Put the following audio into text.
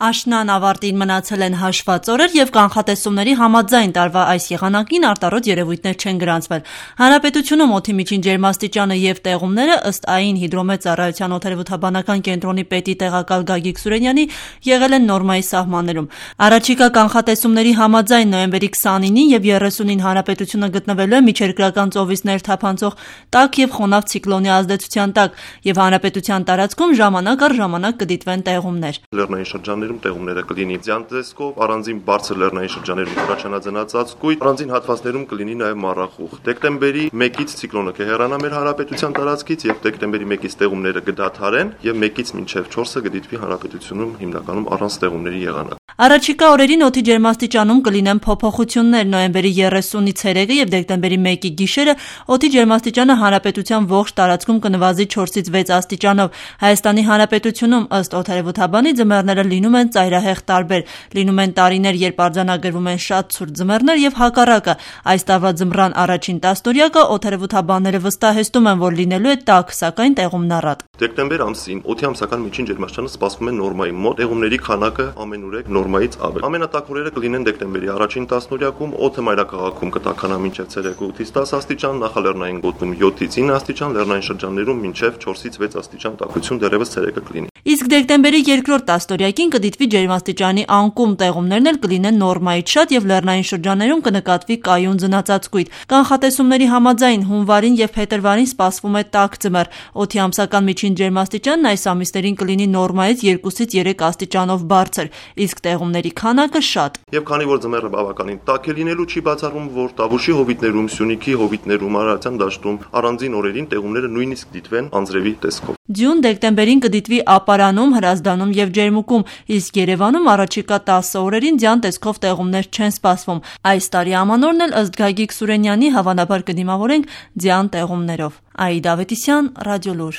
Աշնան ավարտին մնացել են հաշված օրեր և կանխատեսումների համաձայն տարվա այս եղանակին արտարոց երևույթներ չեն գրանցվել։ Հանրապետությունում օդի միջին ջերմաստիճանը և տեղումները ըստ ԱԻ հիդրոմեծառայության օդերևութաբանական կենտրոնի պետի տեղակալ Գագիկ Սուրենյանի եղել են նորմայի սահմաններում։ Առաջիկա կանխատեսումների համաձայն նոյեմբերի 29-ին և 30-ին հանրապետությունը գտնվելու է միջերկրական ծովից ներթափանցող տաք և խոնավ ցիկլոնի ազդեցության տակ և հանրապետության տարածքում ժամանակ առ ժամանակ կդիտվեն տեղումներ։ Լեռնային շրջաններում տեղումները կլինի ձյան տեսքով, առանձին բարձր լեռնային շրջաններում առաջանաձնած ծածկույթ, առանձին հատվածներում կլինի նաև մառախուղ։ Դեկտեմբերի 1-ից ցիկլոնը կհեռանա մեր հանրապետության տարածքից եւ դեկտեմբերի 1-ից տեղումները կդադարեն եւ 1-ից մինչեւ 4-ը կդիտվի հանրապետությունում հիմնականում առանց տեղումների եղանակ։ Առաջիկա օրերին օդի ջերմաստիճանում կլինեն փոփոխություններ։ Նոյեմբերի 30-ի ցերեկը եւ դեկտեմբերի 1-ի գիշերը օդի ջերմաստիճանը հանրապետության ողջ տարածքում կնվազի 4-ից 6 աստիճանով։ Հայաստանի Հանրապետությունում ըստ օդերևութաբանի ձմեռները լինում են ծայրահեղ տարբեր։ Լինում են տարիներ, երբ արձանագրվում են շատ ցուրտ ձմեռներ եւ հակառակը։ Այս տարվա ձմռան առաջին տասնօրյակը օդերևութաբանները վստահեցնում են, որ լինելու է տաք, սակայն տեղումնառատ։ Դեկտեմբեր ամսին օդի ամսական միջին ջերմաստիճանը սպասվում է նորմայի մոտ, տեղումների քանակը ամենուրեք նորմայից ավել։ Ամենատաք օրերը կլինեն դեկտեմբերի առաջին տասնօրյակում, օդը մայրաքաղաքում կտաքանա մինչև ցերեկը 8-ից 10 աստիճան, նախալեռնային գոտում 7-ից 9 աստիճան, լեռնային շրջաններում մինչև 4-ից 6 աստիճան տաքություն դեռևս ցերեկը կլինի։ Իսկ դեկտեմբերի երկրորդ տասնօրյակին կդիտվի ջերմաստիճանի անկում, տեղումներն էլ կլինեն նորմայից շատ եւ լեռնային շրջաններում կնկատվի կայուն ձնածածկույթ։ Կանխատեսումների համաձայն հունվարին եւ փետրվարին սպասվում է տաք ձմեռ։ Օդի ամսական միջին ջերմաստիճանն այս ամիսներին կլինի նորմայից 2-ից 3 աստիճանով բարձր, իսկ տեղումների քանակը շատ։ Եվ քանի որ ձմեռը բավականին տաք է լինելու, չի բացառվում, որ Տավուշի հովիտներում, Սյունիքի հովիտներում, Արարատյան դաշտում առանձին օրերին տեղումները նույնիսկ դիտվեն անձրևի տեսքով։ Ձյուն դեկտեմբերին կդիտվի Ապարանում, Հրազդանում եւ Ջերմուկում, իսկ Երևանում առաջիկա 10 օրերին ձյան տեսքով տեղումներ չեն սպասվում։ Այս տարի ամանորն էլ ըստ Գագիկ Սուրենյանի հավանաբար կդիմավորենք ձյան տեղումներով։ Աիդա Ավետիսյան, Ռադիոլուր։